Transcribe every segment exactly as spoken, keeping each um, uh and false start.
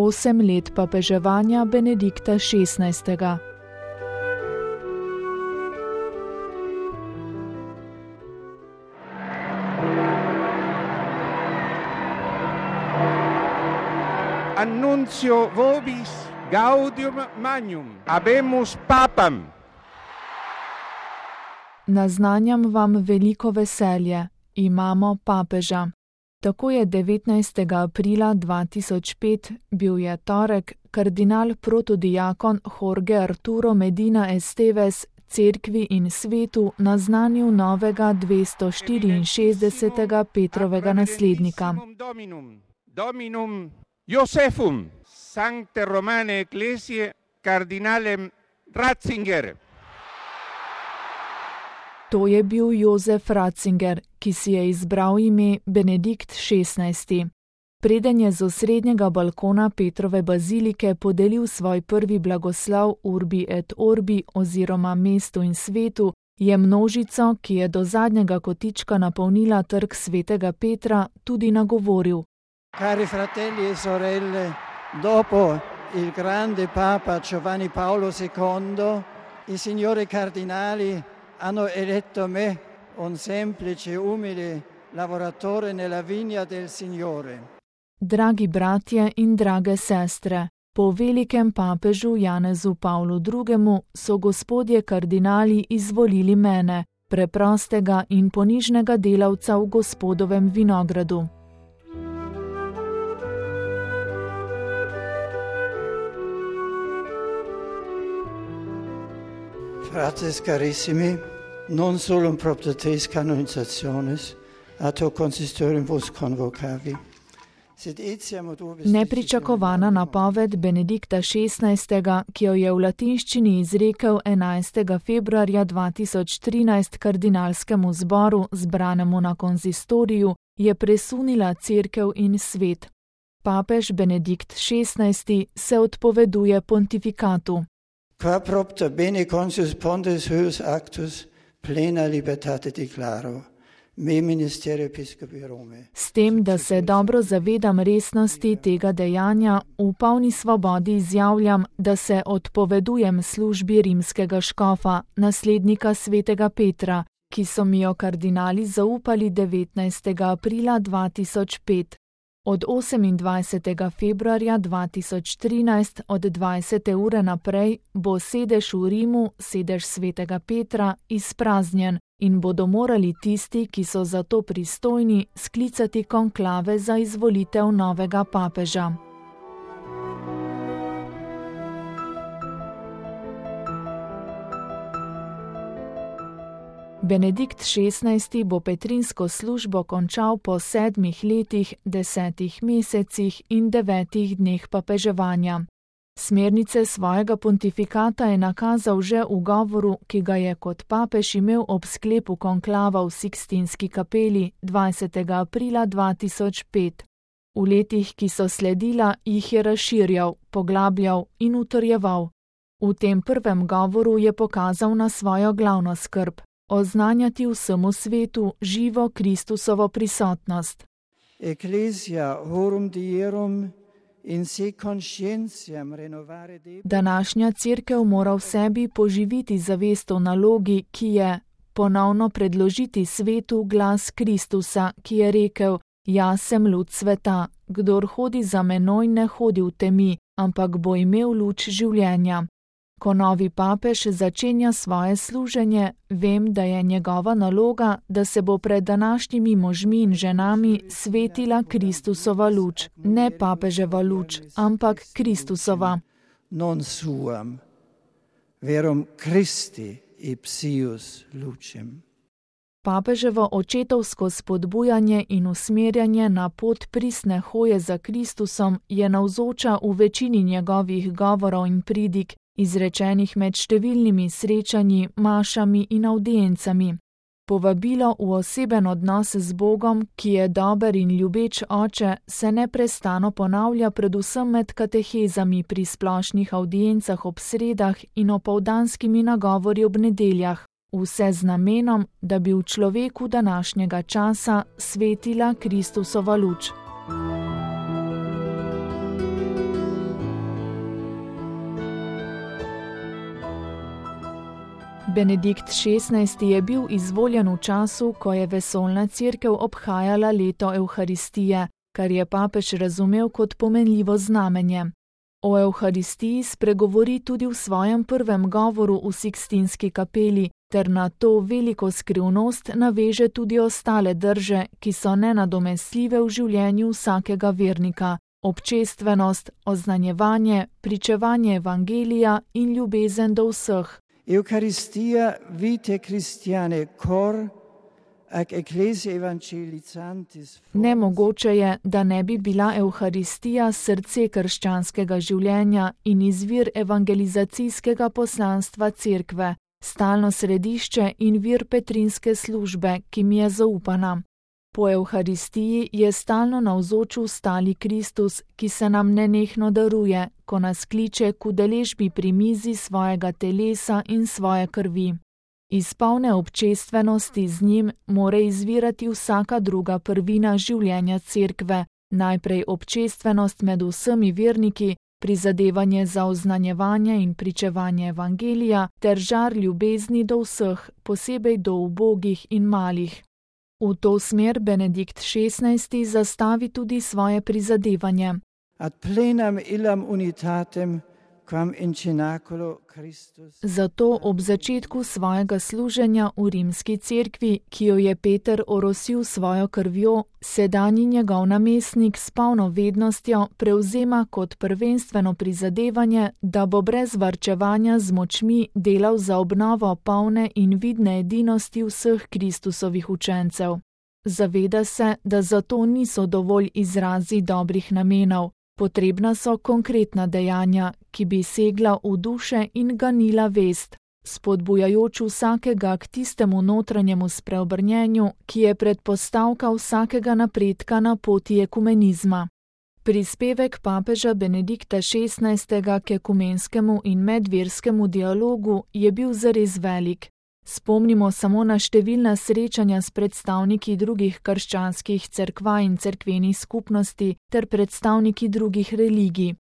osem let papeževanja Benedikta šestnajstega. Annuncio vobis gaudium magnum, habemus papam. Naznanjam vam veliko veselje, imamo papeža. Tako je devetnajstega aprila dva tisoč pet, bil je torek, kardinal protodiakon Jorge Arturo Medina Esteves cerkvi in svetu naznanil novega dvesto štiriinšestdesetega Petrovega naslednika. Dominum, dominum Josephum, Sancte Romane Ecclesiae, kardinalem Ratzinger. To je bil Jozef Ratzinger, ki si je izbral ime Benedikt šestnajsti. Preden je z osrednjega balkona Petrove bazilike podelil svoj prvi blagoslov Urbi et Orbi oziroma mestu in svetu, je množico, ki je do zadnjega kotička napolnila trg svetega Petra, tudi nagovoril. Cari fratelli e sorelle, dopo il grande Papa Giovanni Paolo secondo, i signori cardinali hanno eletto me, un semplice, umile lavoratore nella vigna del Signore. Dragi bratje in drage sestre, po velikem papežu Janezu Pavlu drugemu so gospodje kardinali izvolili mene, preprostega in ponižnega delavca v gospodovem vinogradu. Fratres carissimi, non solo un propter tres canonizationes, ato consistorium vos convocavi. Nepričakovana napoved Benedikta šestnajstega, ki jo je v latinščini izrekel enajstega februarja dva tisoč trinajst kardinalskemu zboru, zbranemu na konzistoriju, je presunila cerkev in svet. Papež Benedikt šestnajsti se odpoveduje pontifikatu. Qua propter bene consius pontes huius actus plena libertate declaro. S tem, da se dobro zavedam resnosti tega dejanja, v polni svobodi izjavljam, da se odpovedujem službi rimskega škofa, naslednika svetega Petra, ki so mi jo kardinali zaupali devetnajstega aprila dva tisoč pet. Od osemindvajsetega februarja dva tisoč trinajst od dvajsete ure naprej bo sedež v Rimu, sedež svetega Petra, izpraznjen in bodo morali tisti, ki so za to pristojni, sklicati konklave za izvolitev novega papeža. Benedikt šestnajsti bo petrinsko službo končal po sedmih letih, desetih mesecih in devetih dneh papeževanja. Smernice svojega pontifikata je nakazal že v govoru, ki ga je kot papež imel ob sklepu konklava v Sikstinski kapeli dvajsetega aprila dva tisoč pet. V letih, ki so sledila, jih je razširjal, poglabljal in utrjeval. V tem prvem govoru je pokazal na svojo glavno skrb. Oznanjati vsemu svetu živo Kristusovo prisotnost. Ecclesia horum dierum in se conscientiam renovare debet. Današnja cerkev mora v sebi poživiti zavest o nalogi, ki je ponovno predložiti svetu glas Kristusa, ki je rekel: Jaz sem luč sveta, kdor hodi za menoj, ne hodi v temi, ampak bo imel luč življenja. Ko novi papež začenja svoje služenje, vem, da je njegova naloga, da se bo pred današnjimi možmi in ženami svetila Kristusova luč, ne papeževa luč, ampak Kristusova. Non suam, verum Christi ipsius lucem. Papeževo očetovsko spodbujanje in usmerjanje na pot pristne hoje za Kristusom je navzoča v večini njegovih govorov in pridig, izrečenih med številnimi srečanji, mašami in avdiencami. Povabilo v oseben odnos z Bogom, ki je dober in ljubeč oče, se neprestano ponavlja predvsem med katehezami pri splošnih avdiencah ob sredah in opoldanskimi nagovori ob nedeljah, vse z namenom, da bi v človeku današnjega časa svetila Kristusova luč. Benedikt šestnajsti je bil izvoljen v času, ko je vesoljna cerkev obhajala leto Evharistije, kar je papež razumel kot pomenljivo znamenje. O Evharistiji spregovori tudi v svojem prvem govoru v Sikstinski kapeli, ter na to veliko skrivnost naveže tudi ostale drže, ki so nenadomestljive v življenju vsakega vernika: občestvenost, oznanjevanje, pričevanje evangelija in ljubezen do vseh. Eucharistia vitae Christiane cor ac ecclesia evangelicantis. Nemogoče je, da ne bi bila Evharistija srce krščanskega življenja in izvir evangelizacijskega poslanstva cerkve, stalno središče in vir petrinske službe, ki mi je zaupana. Po Evharistiji je stalno navzoč stali Kristus, ki se nam nenehno daruje, ko nas kliče k udeležbi pri mizi svojega telesa in svoje krvi. Iz polne občestvenosti z njim more izvirati vsaka druga prvina življenja cerkve, najprej občestvenost med vsemi verniki, prizadevanje za oznanjevanje in pričevanje evangelija ter žar ljubezni do vseh, posebej do ubogih in malih. V to smer Benedikt šestnajsti zastavi tudi svoje prizadevanje. Ad plenam illam unitatem quam in cenaculo Christus. Zato ob začetku svojega služenja v rimski cerkvi, ki jo je Peter orosil svojo krvjo, sedanji njegov namestnik s polno vednostjo prevzema kot prvenstveno prizadevanje, da bo brez varčevanja z močmi delal za obnovo polne in vidne edinosti vseh Kristusovih učencev. Zaveda se, da zato niso dovolj izrazi dobrih namenov. Potrebna so konkretna dejanja, ki bi segla v duše in ganila vest, spodbujajoč vsakega k tistemu notranjemu spreobrnjenju, ki je predpostavka vsakega napredka na poti ekumenizma. Prispevek papeža Benedikta šestnajstega k ekumenskemu in medverskemu dialogu je bil zares velik. Spomnimo samo na številna srečanja s predstavniki drugih krščanskih cerkva in cerkvenih skupnosti ter predstavniki drugih religij.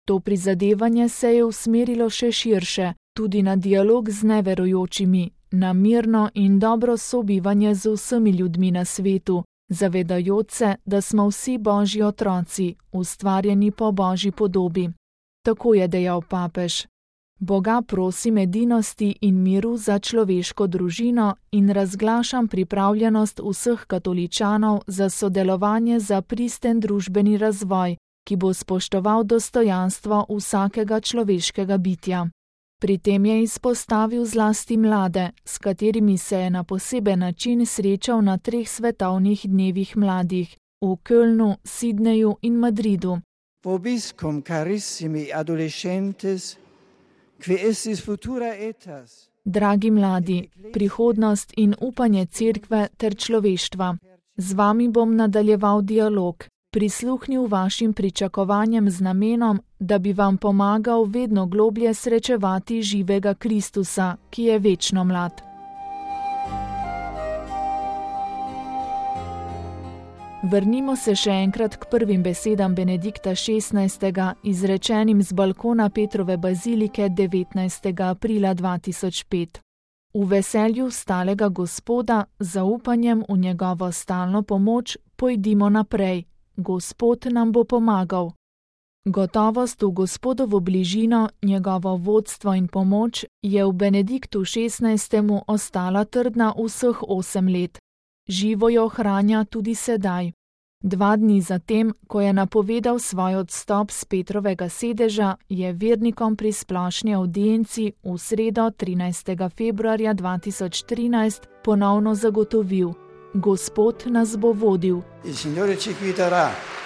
To prizadevanje se je usmerilo še širše, tudi na dialog z neverujočimi, na mirno in dobro sobivanje z vsemi ljudmi na svetu, zavedajoč se, da smo vsi Božji otroci, ustvarjeni po Božji podobi. Tako je dejal papež. Boga prosim edinosti in miru za človeško družino in razglašam pripravljenost vseh katoličanov za sodelovanje za pristen družbeni razvoj, ki bo spoštoval dostojanstvo vsakega človeškega bitja. Pri tem je izpostavil zlasti mlade, s katerimi se je na poseben način srečal na treh svetovnih dnevih mladih, v Kölnu, Sidneju in Madridu. Vobiscum carissimi adolescentes, qui estis futura etas. Dragi mladi, prihodnost in upanje cerkve ter človeštva. Z vami bom nadaljeval dialog, prisluhnil vašim pričakovanjem z namenom, da bi vam pomagal vedno globlje srečevati živega Kristusa, ki je večno mlad. Vrnimo se še enkrat k prvim besedam Benedikta šestnajstega, izrečenim z balkona Petrove bazilike devetnajstega aprila dva tisoč pet. V veselju stalega Gospoda, zaupanjem v njegovo stalno pomoč, pojdimo naprej. Gospod nam bo pomagal. Gotovost v Gospodovo bližino, njegovo vodstvo in pomoč je v Benediktu šestnajstemu ostala trdna vseh osem let. Živo jo ohranja tudi sedaj. Dva dni zatem, ko je napovedal svoj odstop s Petrovega sedeža, je vernikom pri splošni avdienci v sredo trinajstega februarja dva tisoč trinajst ponovno zagotovil: Gospod nas bo vodil. Il Signore ci guiderà.